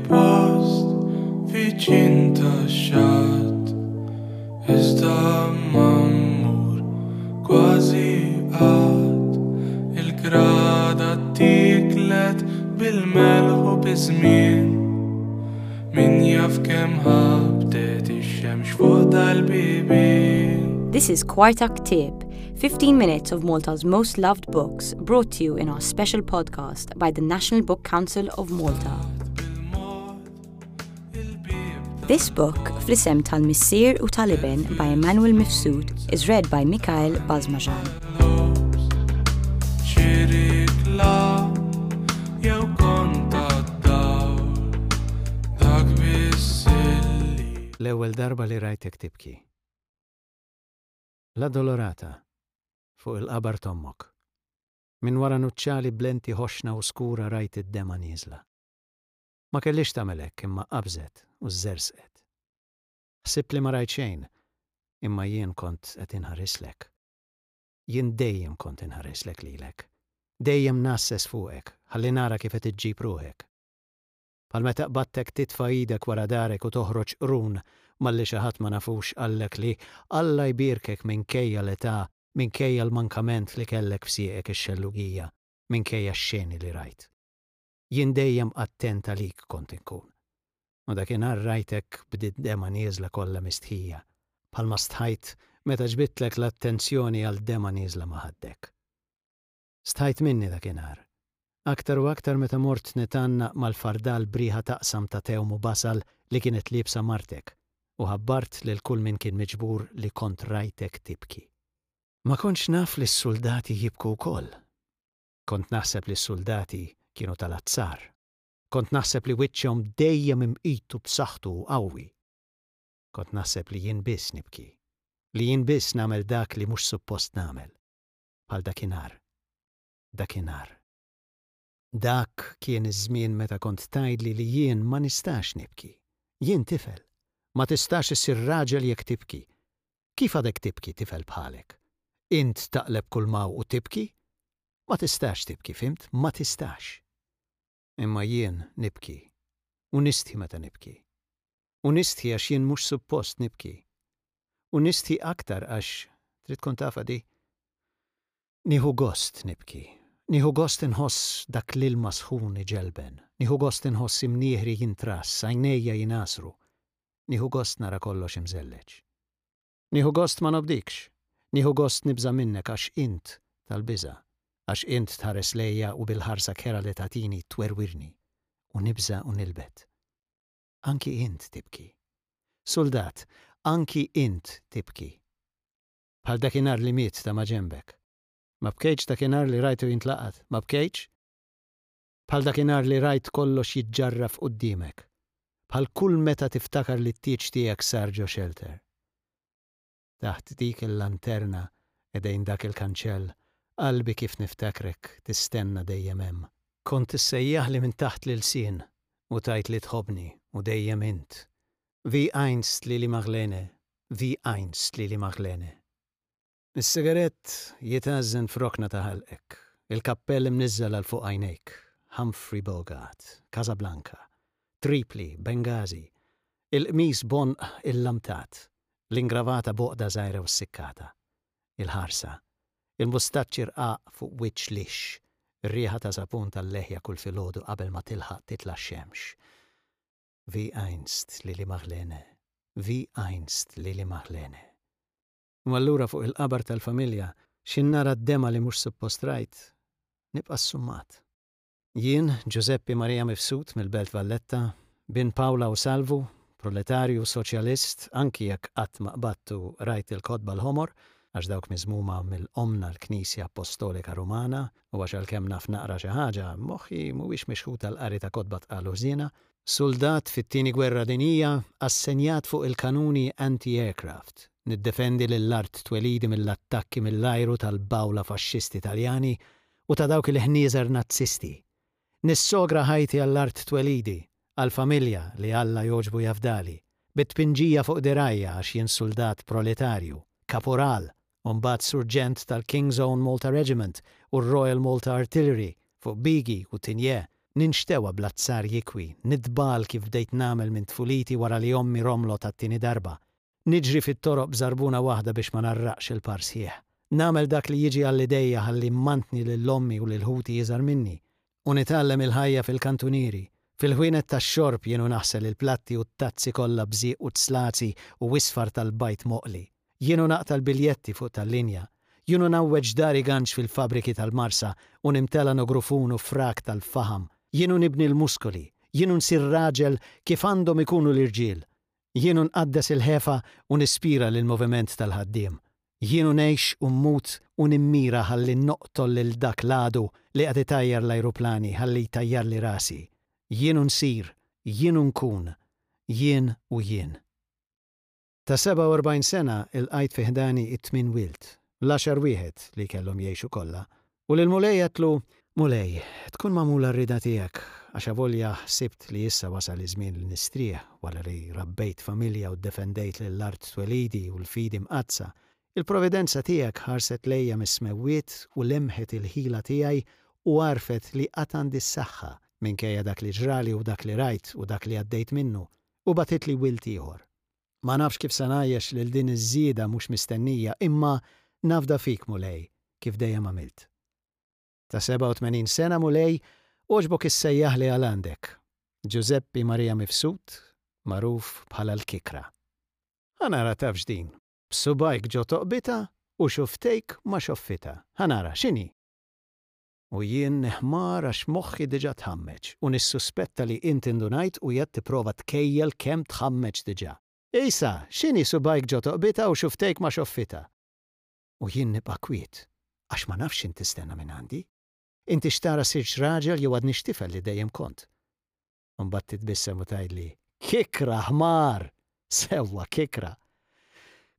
post viċin tax-xatt Iżda ma mmur kważi qatt Il-grada ttiklet bil-melħ u biż-żmien Min jaf kemm ħabtet ix-xemx fuq dal-bibien This is Kwarta Ktieb, 15 minutes of Malta's most loved books brought to you in our special podcast by the National Book Council of Malta. This book, Fl-isem tal-Missier u tal-Iben by Emmanuel Mifsud, is read by Mikhail Basmajan. L-ewwel darba li rajtek tibki. La Dolorata, fuq il-qabar t'ommok. Minn wara nuċċali b'lenti ħoxna u skura rajt id-demgħa nieżla. Ma kellhiex tagħmel hekk imma qabżet u żżerżqet. Ħsibt li ma rajt xejn, imma jien kont qed inħarislek. Jien dejjem kont inħarislek lilek. Dejjem ngħasses fuqek ħalli nara kif qed iġġib ruħek. Bħal meta qbadtek titfa' idek wara darek u toħroġ qrun malli xi ħadd ma nafux qallek li Alla jbierkek minkejja l-età, minkejja l-mankament li kellek f'sieqek ix-xellugija, minkejja x-xeni li rajt. Jien dejjem attent għalik kont inkun. U dakinhar rajtek b'did-demgħa nieżla kollha mistħija, bħalma stħajt meta ġbidtlek l-attenzjoni għal demgħa nieżla ma' ħaddek. Stħajt minni dakinhar. Aktar u aktar meta mort nitgħannaq mal-fardal b'riħa taqsam ta' tewm u basal li kienet liebsa martek u ħabbart lil kull min kien miġbur li kont rajtek tibki. Ma kontx naf li s-suldati jibku wkoll. Kont naħseb li s-suldati kienu tal-azzar. Kont naħseb li wiċċhom dejjem imqit u b'saħħtu u qawwi. Kont naħseb li jien biss nibki. Li jien biss nagħmel dak li mhux suppost nagħmel. Bħal dakinhar. Dakinhar. Dak kien iż-żmien meta kont tgħidli li jien ma nistax nibki. Jien tifel. Ma tistax issir raġel jekk tibki. Kif għadek tibki tifel bħalek? Int taqleb kull m'hawn u tibki? Ma tistax tibki, fhimt? Ma tistax. Imma jien nibki. U nistħi meta nibki. U nistħi għax jien mhux suppost nibki. U nistħi aktar għax, trid tkun tafha di? Nieħu gost nibki. Nieħu gost inħoss dak l-ilma sħun iġelben. Nieħu gost inħoss imnieħri jintrass, għajnejja jingħasru. Nieħu gost nara kollox imżelleġ. Nieħu gost ma nobdikx. Nieħu gost nibża' minnek għax int tal-biża'. Għax int tħares lejja u bil-ħarsa kerha li tagħtini twerwirni. U nibża' u nilbet. Anki int tibki. Suldat, anki int tibki. Bħal dakinhar li miet ta' maġenbek. Ma bkejtx dakinhar li rajtu jintlaqat? Ma bkejtx? Bħal dakinhar li rajt kollox jiġġarraf quddiemek. Bħal kull meta tiftakar li t-tieġ tiegħek sar ġo xelter. Taħt dik il-lanterna, ħdejn dak il-kanċell, qalbi kif niftakrek tistenna dejjem hemm. Kont issejjaħli minn taħt l-ilsien u tgħid li tħobbni u dejjem int. Wie einst Lili Marlene, wie einst Lili Marlene. Is-sigarett jitgħażżen f'rokna ta' ħalqek, il-kappell imniżżel għal fuq għajnejk, Humphrey Bogart, Casablanca, Tripli, Benghazi, il-qmis b'għonq illamtat, l-ingravata b'għoqda żgħira u ssikkata, il-ħarsa, il-mustaċċi rqaq fuq wiċċ lixx, ir-riħa ta' sapun tal-leħja kull filgħodu qabel ma tilħaq titla' x-xemx. Wie einst, Lili Marlene, wie einst, Lili Marlene. U allura fuq il-qabar tal-familja, x'ħin nara d-demgħa li mhux suppost rajt, nibqa' ssummat. Jien, Ġużeppi Maria Mifsud mill-Belt Valletta, bin Pawla u Salvu, proletarju soċjalist, anki jekk qatt ma qbadt u qrajt il-kotba l-ħomor, għax dawk miżmuma mill-Ommna l-Knisja Appostolika Rumana, u għax għalkemm naf naqra xi ħaġa, moħħi mhuwiex mixħut għall-qari ta' kotba tqal u ħżiena, Suldat fit-Tieni Gwerra Dinjija assenjat fuq il-kanuni anti-aircraft, niddefendi lill-art twelidi mill-attakki mill-ajru tal-bgħula faxxisti Taljani u ta' dawk il-ħnieżer Nazzisti. Nissogra ħajti għall-art twelidi, għall-familja li Alla jogħġbu jafdali, bit-tpinġija fuq dirgħajja għax jien suldat proletarju, kapural, u mbagħad surġent tal-King's Own Malta Regiment u r-Royal Malta Artillery fuq Bigi u Tigné. Ninxtewa bl-azzar jikwi, nitbagħal kif bdejt nagħmel minn tfuliti wara li ommi romlot għat-tieni darba. Niġri fit-toroq b'żarbuna waħda biex ma ngħarraqx il-par sħiħ. Nagħmel dak li jiġi għal idejja ħalli mmantni lil ommi u lil ħuti iżgħar minni. U nitgħallem il-ħajja fil-kantunieri, fil-ħwienet tax-xorb jien u naħsel il-platti u t-tazzi kollha bżieq u tslazi u isfar tal-bajd moqli. Jien u naqta' l-biljetti fuq tal-linja. Jien u ngħawweġ dari ganċ fil-fabbriki tal-Marsa u nimtela nogrufun u frak tal-faħam. Jien u nibni l-muskoli. Jien u nsir raġel kif għandhom ikunu l-irġiel. Jien u nqaddes il-ħefa u nispira lill-moviment tal-ħaddiem. Jien u ngħix u mmut u nimmira ħalli noqtol lil dak l-għadu li qed itajjar l-ajruplani ħalli jtajjarli rasi. Jien u nsir, jien u nkun, jien u jien. Ta' 47 sena ilqajt fi ħdani it-tmien wild, l-għaxar wieħed li kellhom jgħixu kollha, u lill-Mulej għedtlu, Mulej, tkun magħmula r-rieda tiegħek, għax avolja ħsibt li issa wasal iż-żmien li nistrieħ wara li rabbejt familja u ddefendejt lil art twelidi u l-fidi mqaddsa, il-providenza tiegħek ħarset lejja mis-smewwiet u lemħet il-ħila tiegħi u għarfet li għad għandi s-saħħa, minkejja dak li ġrali u dak li rajt u dak li għaddejt minnu, u bagħtitli wild ieħor. Ma nafx kif se ngħajjex lil din iż-żieda mhux mistennija, imma nafda fik, Mulej, kif dejjem għamilt. Ta' 87 sena, Mulej, għoġbok issejjaħli għal għandek. Ġużeppi Maria Mifsud, magħruf bħala l-Kikra. Ħa nara tafx din, b'subgħajk ġo toqbitha u xufftejk ma' xoffitha. Ħa nara, x'inhi? U jien niħmar għax moħħi diġà tħammeġ u nissuspetta li int indunajt u qiegħed tipprova tkejjel kemm tħammeġ diġà. Isa, x'inhi subgħajk ġo toqbitha u xufftejk ma' xoffitha? U jien nibqa' kwiet, għax ma nafx x'int tistenna mingħandi. Inti x'tara sirtx raġel jew għadnix tifel li dejjem kont? U mbagħad titbissem u tgħidli, Kikra, ħmar! Sewwa, kikra!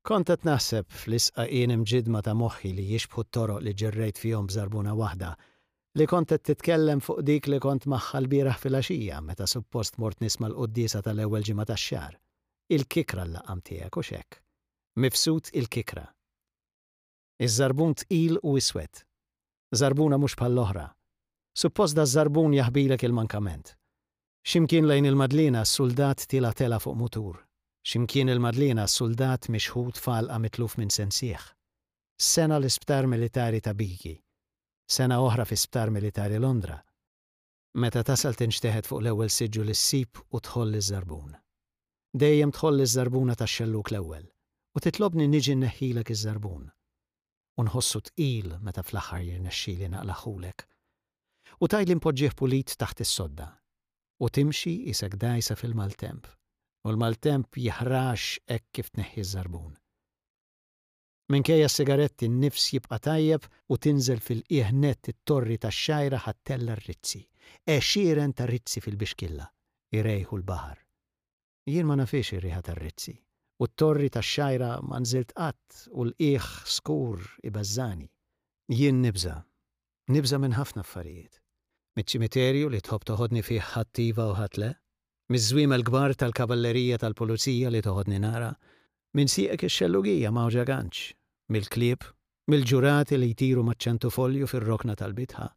Kont qed naħseb fl-isqaqien imġiddma ta' moħħi li jixbħu t-toroq li ġerrejt fihom b'żarbuna waħda, li kont qed titkellem fuq dik li kont magħha lbieraħ filgħaxija meta suppost mort nisma' l-quddiesa tal-ewwel ġimgħa tax-xahar. Il-kikra l-laqam tiegħek, hux hekk? Mifsud il-kikra. Iż-żarbun tqil u iswed. Żarbuna mhux bħall-oħra. Suppost daż-żarbun jaħbilek il-mankament. Xi mkien lejn il-Madliena suldat tiela' telgħa fuq mutur. Xi mkien il-Madliena suldat mixħut f'għalqa mitluf minn sensih. Sena l-isptar militari ta' Bigi. Sena oħra fi sptar militari Londra. Meta tasal tinxteħet fuq l-ewwel siġġu li ssib u tħoll iż-żarbun. Dejjem tħoll iż-żarbuna tax-xellug l-ewwel, u titlobni niġi nneħħilek iż-żarbun. U nħossu tqil meta fl-aħħar jirnexxili naqlagħhulek. U tgħidli npoġġih pulit taħt is-sodda. U timxi qisek dgħajsa fil-maltemp. U l-maltemp jiħrax hekk kif tneħħi ż-żarbun. Minkejja s-sigaretti n-nifs jibqa' tajjeb u tinżel fil-qiegħ nett it-torri tax-xgħira ħa ttella' r-rizzi. Għexieren ta' rizzi fil-bixkilla, irejħu l-baħar. Jien ma nafhiex ir-riħa tar-rizzi, u t-torri tax-xgħira ma nżilt qatt u l-qiegħ skur ibeżżagħni. Jien nibża'. Nibża' minn ħafna affarijiet. Miċ-ċimiterju li tħobb toħodni fih ħadd iva u ħadd le. Miż-żwiemel kbar tal-kavallerija tal-pulizija li toħodni nara. Minn sieqek ix-xellugija mgħawġa ganċ. Mill-klieb. Mill-ġurati li jtiru maċ-ċentufolju fir-rokna tal-bitħa.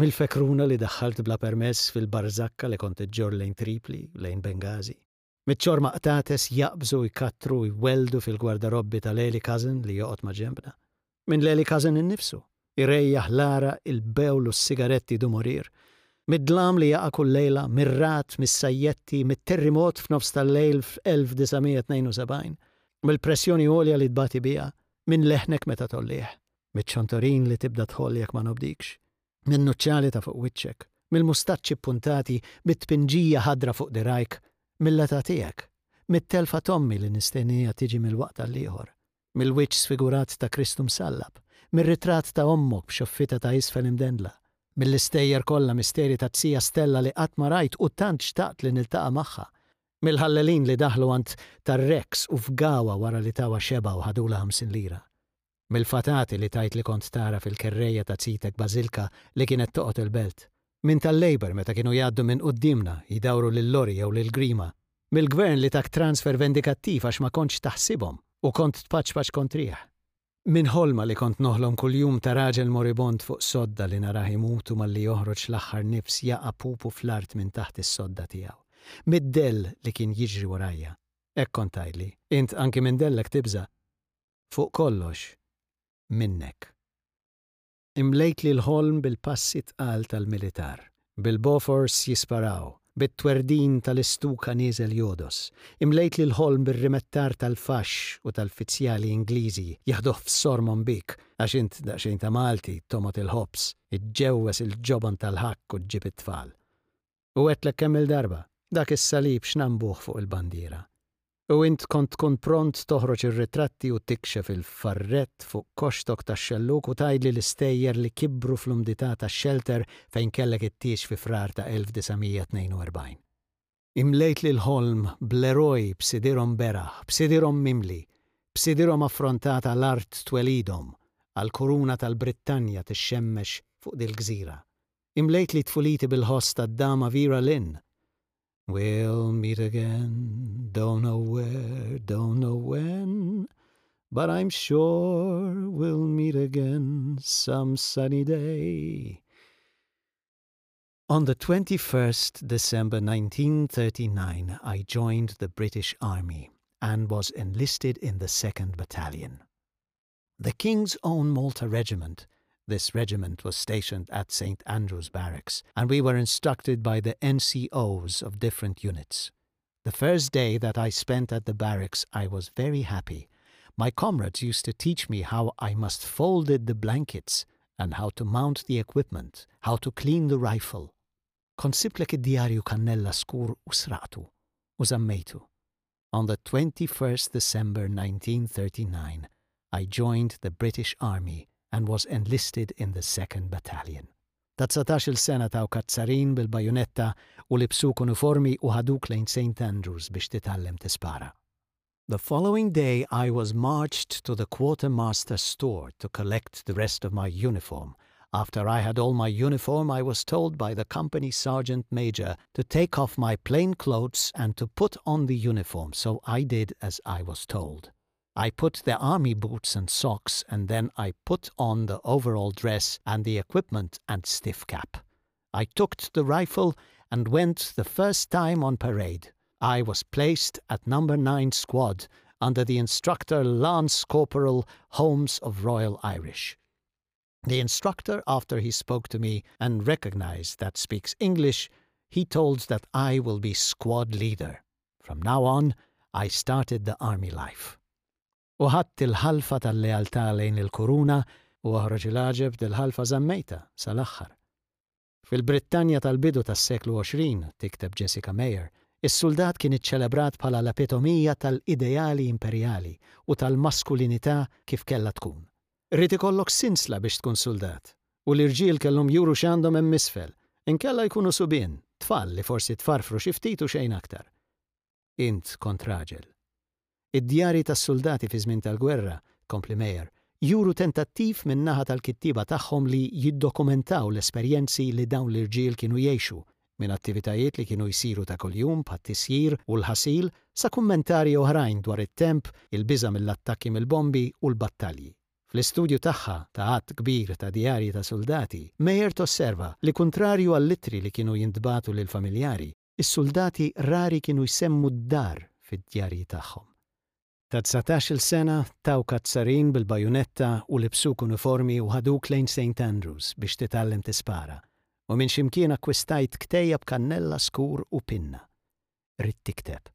Mill-fekruna li daħħalt bla permess fil-barżakka li kont iġġorr lejn Tripli, lejn Bengażi. Miċ-ċorma qtates jaqbżu jkattru u jwelldu fil-gwardarobbi ta' Leli Cousin li joqgħod maġenbna. Minn Leli Cousin innifsu, irejjaħ l-għaraq, il-bewl u s-sigaretti du morir. Mid-dlam li jaqa' kull lejla, mir-ragħad, mis-sajjetti, mit-terrimot f'nofs tal-lejl f'1972, mill-pressjoni għolja li tbati biha, minn leħnek meta tgħollih, miċ-ċontorin li tibda tħoll jekk ma nobdikx, min-nuċċali ta' fuq wiċċek, mill-mustaċċi ppuntati, mit-tpinġija ħadra fuq dirgħajk, mill-età tiegħek, mit-telfa t'ommi li nistennieha tiġi mill-waqt għall-ieħor, mill-wiċċ sfigurat ta' Kristu msallab, mir-ritratt ta' ommok b'xoffitha ta' isfel imdendla, mill-istejjer kollha misteri taz-zija Stella li qatt ma rajt u tant xtaqt li niltaqa' magħha, mill-ħallelin li daħlu għand tar-Rex u fgawha wara li tawha xebgħa u ħadulha 50 lira. Mill-fatati li tgħid li kont tara fil-kerrejja ta' zitek Bażilka li kienet toqgħod il-Belt. Minn tal-Labour meta kienu jgħaddu minn quddiemna jdawru lil Lorry jew lil Grima. Mill-Gvern li tak transfer vendikattiv għax ma kontx taħsibhom u kont tpaċpaċ kontrih. Minn ħolma li kont noħlom kuljum ta' raġel moribond fuq sodda li narah imut u malli joħroġ l-aħħar nifs jaqa' pupu fl-art minn taħt is-sodda tiegħu. Mid-dell li kien jiġri warajja. Hekk kont tgħidli. Int anki minn dellek tibża'. Fuq kollox, minnek. Imlejtli l-ħolm bil-passi tqal tal-militar, bil-Bofors jisparaw, bit-twerdin tal-istuka nieżel jogħdos. Imlejtli l-ħolm bir-rimettar tal-faxx u tal-fizzjali Ingliżi jaħduh f'sormhom bik għax int daqsxejn ta' Malti tomgħod il-ħobż, iġġewweż il-ġobon tal-ħakk u ġġib it-tfal. U għedtlek kemm-il darba, dak is-salib x'nambuh fuq il-bandiera. U int kont tkun pront toħroġ ir-ritratti u tikxef il-farrett fuq koxtok tax-xellug u tgħidli l-istejjer li kibru fl-umdità tax-xelter fejn kellek it-tieġ fi Frar ta' 1942. Imlejtli l-ħolm bl-eroj b'sidirhom beraħ, b'sidirhom mimli, b'sidirhom affrontata l-art twelidhom, għall-kuruna tal-Brittanja tixxemmex fuq dil-gżira. Imlejtli tfuliti bil-ħoss tad-dama Vera Lynn. We'll meet again, don't know where, don't know when, but I'm sure we'll meet again some sunny day. On the 21st December 1939 I joined the British Army and was enlisted in the 2nd Battalion. The King's Own Malta Regiment This regiment was stationed at St. Andrew's Barracks, and we were instructed by the NCOs of different units. The first day that I spent at the barracks I was very happy. My comrades used to teach me how I must folded the blankets and how to mount the equipment, how to clean the rifle. Kont sibtlek id-djarju kannella skur u sraqtu u żammejtu. On the 21st December 1939 I joined the British Army and was enlisted in the 2nd Battalion. Ta' dsatax-il sena tawk azzarin bil-bajunetta u libsuk uniformi u ħaduk lejn St. Andrews biex titgħallem tispara. The following day I was marched to the quartermaster store to collect the rest of my uniform. After I had all my uniform I was told by the company sergeant major to take off my plain clothes and to put on the uniform, so I did as I was told. I put the army boots and socks and then I put on the overall dress and the equipment and stiff cap. I took the rifle and went the first time on parade. I was placed at number 9 squad under the instructor Lance Corporal Holmes of Royal Irish. The instructor, after he spoke to me and recognized that speaks English, he told that I will be squad leader. From now on, I started the army life. U ħadt il-ħalfa tal-lealtà lejn il-kuruna u oħroġ il-għaġeb dil-ħalfa żammejtha sal-aħħar. Fil-Brittanja tal-bidu tas-seklu 20, tikteb Jessica Meyer, is-suldat kien iċċelebrat bħala l-epitomija tal-ideali imperjali u tal-maskulinità kif kellha tkun. Ried ikollok sinsla biex tkun suldat, u l-irġiel kellhom juru x'għandhom hemm isfel, inkella jkunu subien, tfal li forsi tfarfru xi ftit u xejn aktar. Int kont raġel. Id-djarji tas-suldati fi żmien tal-gwerra, tkompli Meyer, juru tentattiv min-naħa tal-kittieba tagħhom li jiddokumentaw l-esperjenzi li dawn l-irġiel kienu jgħixu, minn attivitajiet li kienu jsiru ta' kuljum bħat-tisjir u l-ħasil sa kummentarji oħrajn dwar it-temp, il-biża' mill-attakki mill-bombi u l-battalji. Fl-istudju tagħha ta' għadd kbir ta' djarji ta' suldati, Meyer tosserva li kuntrarju għall-ittri li kienu jintbagħtu lill-familjari, Is-suldati rari kienu jsemmu d-dar fid-djarji tagħhom. Ta' dsatax-il sena tawk azzarin bil-bajunetta u libsuk uniformi u ħaduk lejn Saint Andrews biex titgħallem tispara, u minn xi mkien akkwistajt ktejjeb kannella skur u pinna. Ridt tikteb.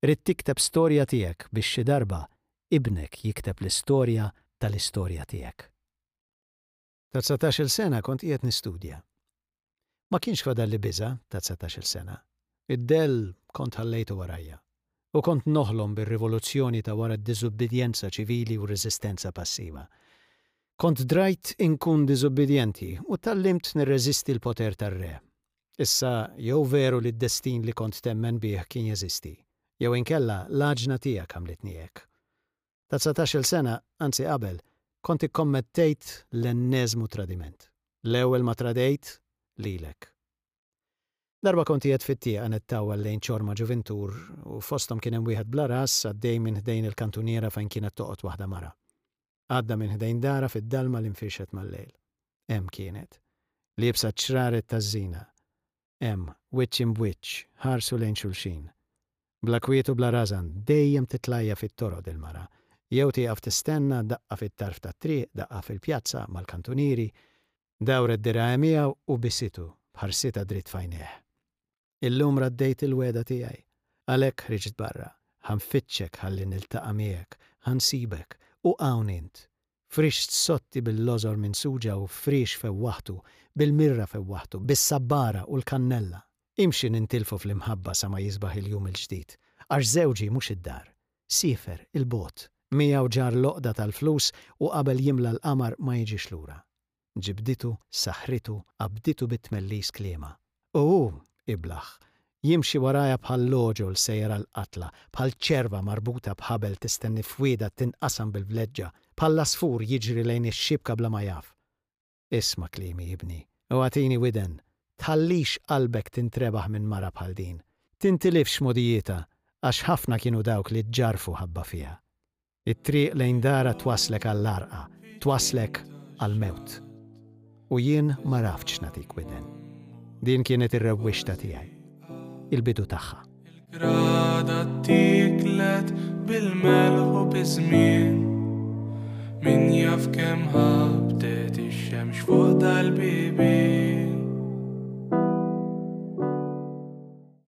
Ridt tikteb storja tiegħek biex xi darba ibnek jikteb l-istorja tal-istorja tiegħek. Ta' dsatax-il sena kont qiegħed nistudja. Ma kienx fadalli biża' ta' dsatax-il sena. Id-dell kont ħallejtu warajja. U kont noħlom bir-rivoluzzjoni ta' wara d-diżubbidjenza ċivili u r-reżistenza passiva. Kont drajt inkun diżubbidjenti u tgħallimt nirreżisti l-poter tar-re. Issa jew veru li d-destin li kont temmen bih kien jeżisti, jew inkella l-għaġna tiegħek għamlitni hekk. Ta' dsatax-il sena, anzi qabel, kont ikkommettejt l-enneżmu tradiment. L-ewwel ma tradejt lilek. Darba kont qiegħed fit-tieqa nittawwal lejn ċorma ġuvintur u fosthom kien hemm wieħed bla ras għaddej minn ħdejn il-kantuniera fejn kienet toqgħod waħda mara. Għadda minn ħdejn darha fid-dalma li nfirxet mal-lejl. Hemm kienet. Liebsa ċ-ċraret taż-żina. Hemm, wiċċ imb'wiċċ, ħarsu lejn xulxin. Bla kwiet u bla rażan, dejjem titlajja fit-toroq dil-mara. Jew tieqaf tistenna, daqqa fit-tarf tat-triq, daqqa fil-pjazza, mal-kantunieri. Dawret dirgħajha miegħu u bisitu, b'ħarsitha dritt f'għajnejh. Illum raddejt il-wegħda tiegħi. Għalhekk ħriġt barra. Ħa nfittxek ħalli niltaqa' miegħek. Ħa nsibek. U hawn int. Frixt sotti bil-lożor minsuġa u friex fewwaħtu, bil-mirra fewwaħtu, bis-sabbara u l-kannella. Imxi nintilfu fl-imħabba sa ma jisbaħ il-jum il-ġdid. Għax żewġi mhux id-dar. Siefer, 'il bogħod. Miegħu ġarr l-għoqda tal-flus u qabel jimla l-qamar ma jiġix lura. Ġibditu, saħħritu, qabditu bit-tmellis kliemha. U hu, iblah, jimxi warajha bħal għoġol sejjer għall-qatla, bħal ċerva marbuta b'ħabel tistenni fwiedha tinqasam bil-vleġġa, bħall-għasfur jiġri lejn ix-xibka bla ma jaf. Isma' kliemi, ibni, u agħtini widen, tħallix qalbek tintrebaħ minn mara bħal din. Tintilifx mogħdijietha, għax ħafna kienu dawk li ġġarrfu ħabba fiha. It-triq lejn darha twasslek għall-għarqa, twasslek għall-mewt. U jien m'għaraftx nagħtik widen. Din kienet ir-rewwixta tiegħi. Il-bidu tagħha. Il-grada ttieklet bil-melħ u biż-żmien. Min jaf kemm ħabtet ix-xemx fuq dal-bibien.